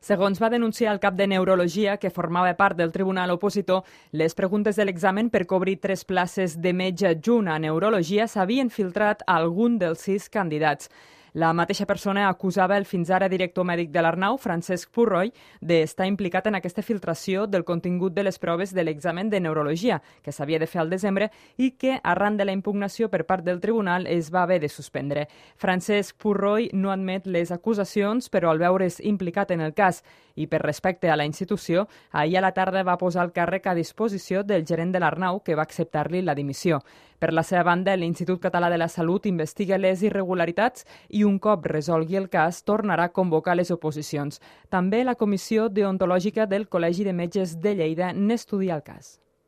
Segons va denunciar el cap de Neurologia, que formava part del tribunal opositor, les preguntes de l'examen per cobrir 3 places de metge adjunt a Neurologia s'havien filtrat a algun dels 6 candidats. La mateixa persona acusava el fins ara director mèdic de l'Arnau, Francesc Purroy, d'estar implicat en aquesta filtració del contingut de les proves de l'examen de neurologia, que s'havia de fer al desembre i que, arran de la impugnació per part del tribunal, es va haver de suspendre. Francesc Purroy no admet les acusacions, però al veure's implicat en el cas i per respecte a la institució, ahir a la tarda va posar el càrrec a disposició del gerent de l'Arnau, que va acceptar-li la dimissió. Per la seva banda, l'Institut Català de la Salut investiga les irregularitats i un cop resolgui el cas tornarà a convocar les oposicions. També la Comissió Deontològica del Col·legi de Metges de Lleida n'estudia el cas.